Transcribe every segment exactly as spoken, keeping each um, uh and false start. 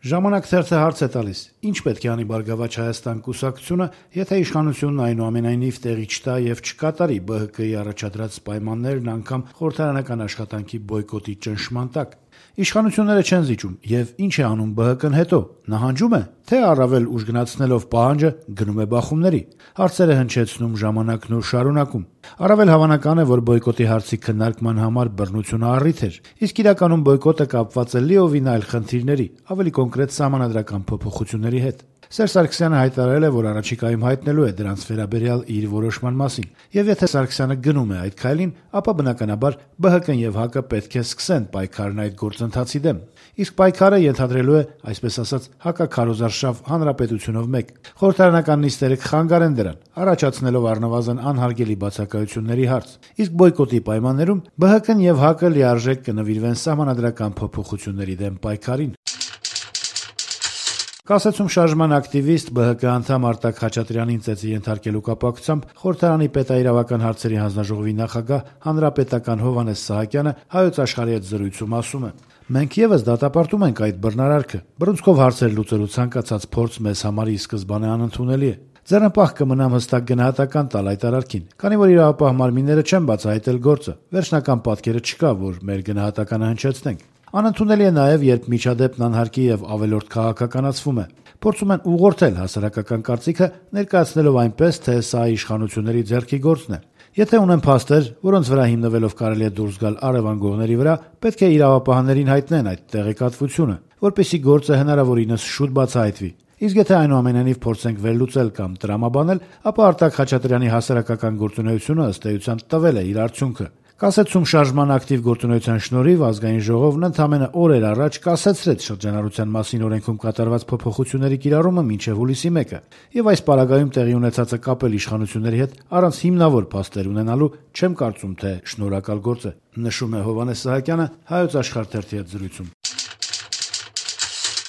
Ժամանակ թերթը հարց է տալիս. ինչ պետք է անի Բարգավաճ Հայաստան կուսակցությունը, եթե իշխանությունն այնուամենայնիվ տեղի չտա եւ չկատարի Բ Հ Կ-ի առաջադրած պայմաններն անգամ խորհրդարանական աշխատանքի բոյկոտի ճնշման տակ։ Իշխանությունները չեն զիջում, եւ ինչ է անում Բ Հ Կ-ն հետո, նահանջում է, թե առավել ուժգնացնելով պահանջը գնում է բախումների։ Հարցերը հնչեցնում ժամանակն ու շարունակում։ Առավել հավանական է, որ բոյկոտի հարցի քննարկման համար բռնությունը առիթ էր, իսկ իրականում բոյկոտը կապված է լիովին այլ խնդիրների, ավելի կոնկրետ սահմանադրական փոփոխությունների հետ։ Սերժ Սարգսյանը հայտարարել է, որ առաջիկայում հայտնելու է դրանց վերաբերյալ իր որոշման մասին, եւ եթե Սարգսյանը գնում է այդ քայլին, ապա բնականաբար Բ Հ Կ-ն եւ Հ Կ-ը պետք է սկսեն պայքարն այդ գործընթացի դեմ։ Իսկ պայքարը ենթադրելու է, այսպես ասած, հակաքարոզարշավ հանրապետությունով մեկ։ Խորհրդարանական նիստերը կխանգարեն դրան, առաջացնելով առնվազն անհարգելի բացակայությունների հարց։ Իսկ բոյկոտի պայմաններում Բ Հ Կ-ն եւ Հ Կ-ը լիարժեք կնվիրվեն սահմանադրական փոփոխությունների դեմ պայքարին։ Կասեցում շարժման ակտիվիստ Բ Հ Կ անդամ Արտակ Խաչատրյանին ծեծի ենթարկելու կապակցությամբ խորհրդարանի պետաիրավական հարցերի հանձնաժողովի նախագահ հանրապետական Հովհաննես Սահակյանը Հայոց Աշխարհի հետ զրույցում ասում է. մենք եւս դատապարտում ենք այդ բռնարարքը, բռունցքով հարցեր լուծելու ցանկացած փորձ մեզ համար ի սկզբանե անընդունելի է։ Ձեռնպահ կմնամ հստակ գնահատական տալ այդ արարքին, քանի որ իրավապահ մարմինները չեն բացահայտել գործը, վերջնական պատկերը չկա, որ մեր գնահատականը հնչեցնենք։ Անընդունելի է նաև, երբ միջադեպն անհարկի եւ ավելորդ քաղաքականացվում է։ Փորձում են ուղղորդել հասարակական կարծիքը, ներկայացնելով այնպես, թե սա իշխանությունների ձեռքի գործն է։ Եթե ունեն փաստեր, որոնց վրա հիմնվելով կարելի է դուրս գալ առևանգողների վրա, պետք է իրավապահներին հայտնեն այդ տեղեկատվությունը, որպեսզի գործը հնարավորինս շուտ բացահայտվի։ Իսկ եթե այնուամենայնիվ փորձենք վերլուծել կամ տրամաբանել, ապա Արտակ Խաչատրյանի հասարակական գործունեությունը ըստ էության տվել է իր արդյունքը։ Կասեցում շարժման ակտիվ գործունեության շնորհիվ ազգային ժողովն ընդամենը օրեր առաջ կասեցրեց շրջանառության մասին օրենքում կատարված փոփոխությունների կիրառումը մինչև հուլիսի մեկը, եւ այս պարագայում տեղի ունեցածը կապել իշխանությունների հետ առանց հիմնավոր փաստեր ունենալու չեմ կարծում, թե շնորհակալ գործ է, նշում է Հովհաննես Սահակյանը Հայոց Աշխարհ թերթի հետ զրույցում։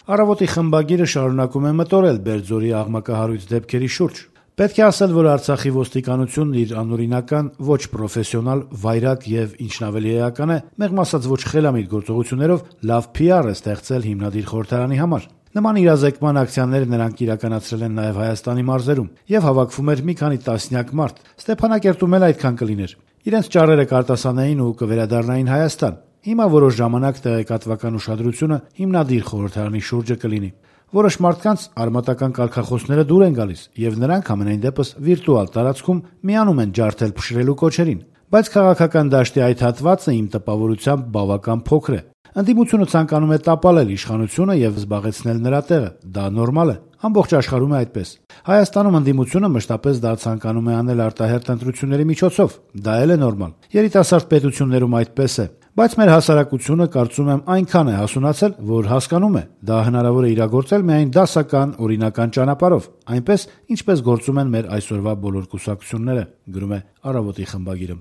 Առավոտի խմբագիրը շարունակում է մտորել Բերձորի աղմկահարույց դեպքերի շուրջ։ Պետք է ասել, որ Արցախի ոստիկանությունն իր անօրինական, ոչ պրոֆեսիոնալ, վայրագ եւ ինչն ավելի էական է, մեղմ ասած ոչ խելամիտ գործողություններով լավ Փ R է ստեղծել հիմնադիր խորհրդարանի համար։ Նման իրազեկման ակցիաները նրանք իրականացրել են նաեւ Հայաստանի մարզերում եւ հավաքվում էր մի քանի տասնյակ մարդ։ Ստեփանակերտում էլ այդքան կլիներ։ Իրենց ճառերը կարտասանային ու կվերադառնային Հայաստան։ Հիմա որոշ ժամանակ տեղեկատվական ուշադրությունը հիմնադիր խորհրդարանի շուրջը կլինի։ Որոշ մարդկանց արմատական կարգախոսները դուր են գալիս, եւ նրանք ամենայն դեպս վիրտուալ տարածքում միանում են ջարդել փշրելու կոչերին, բայց քաղաքական դաշտի այդ հատվածը իմ տպավորությամբ բավական փոքր է։ Ընդդիմությունը ցանկանում է տապալել իշխանությունը եւ զբաղեցնել նրա տեղը, դա նորմալ է, ամբողջ աշխարհում է այդպես։ Հայաստանում ընդդիմությունը մշտապես դա ցանկանում է անել արտահերթ ընտրությունների միջոցով, դա էլ է նորմալ։ Երիտասարդ պետություններում այդպես է, բայց մեր հասարակությունը կարծում եմ այնքան է հասունացել, որ հասկանում է, դա հնարավոր է իրագործել միայն դասական, օրինական ճանապարհով, այնպես ինչպես գործում են մեր այսօրվա բոլոր կուսակցությունները, գրում է Առավոտի խմբագիրը։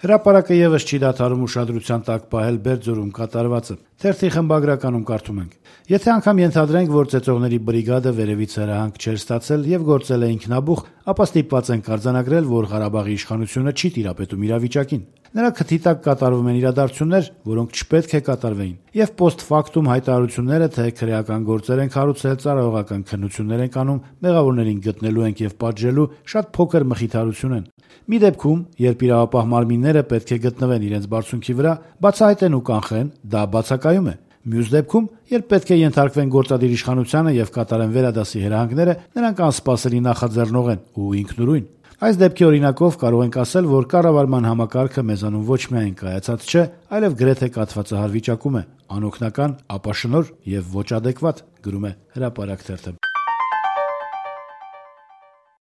Հրապարակը եւս չի դադարում ուշադրության տակ պահել Բերձորում կատարվածը։ Թերթի խմբագրականում կարդում ենք. Եթե անգամ ենթադրենք, որ ծեծողների բրիգադը վերևից հրահանգ չէր ստացել եւ գործել է ինքնաբուխ, ապա ստիպված են արձանագրել, որ Ղարաբաղի իշխանությունը չի տիրապետում իրավիճակին։ Նրա քթի տակ կատարվում են իրադարձություններ, որոնք չպետք է կատարվեին, եւ post factum հայտարարությունները, թե քրեական գործեր են կառուցել, ծառայողական քննություններ են կանում, մեղավորներին գտնելու ենք եւ պատժելու, շատ փոքր մխիթարություն են։ Մի դեպքում, երբ իրավապահ մարմինները պետք է գտնվեն իրենց բարձունքի վրա, բացահայտեն ու կանխեն, դա բացակայում է։ Մյուս դեպքում, երբ պետք է ենթարկվեն գործադիր իշխանությանը եւ կատարեն վերադասի հրահանգները, նրանք անսպասելի նախաձեռնող են ու ինքնուրույն։ Այս դեպքի օրինակով կարող ենք ասել, որ կառավարման համակարգը մեզանում ոչ միայն կայացած չէ, այլև գրեթե կաթվածահար վիճակում է, անօգնական, ապաշնոր եւ ոչ ադեկվատ, գրում է Հրապարակ թերթը։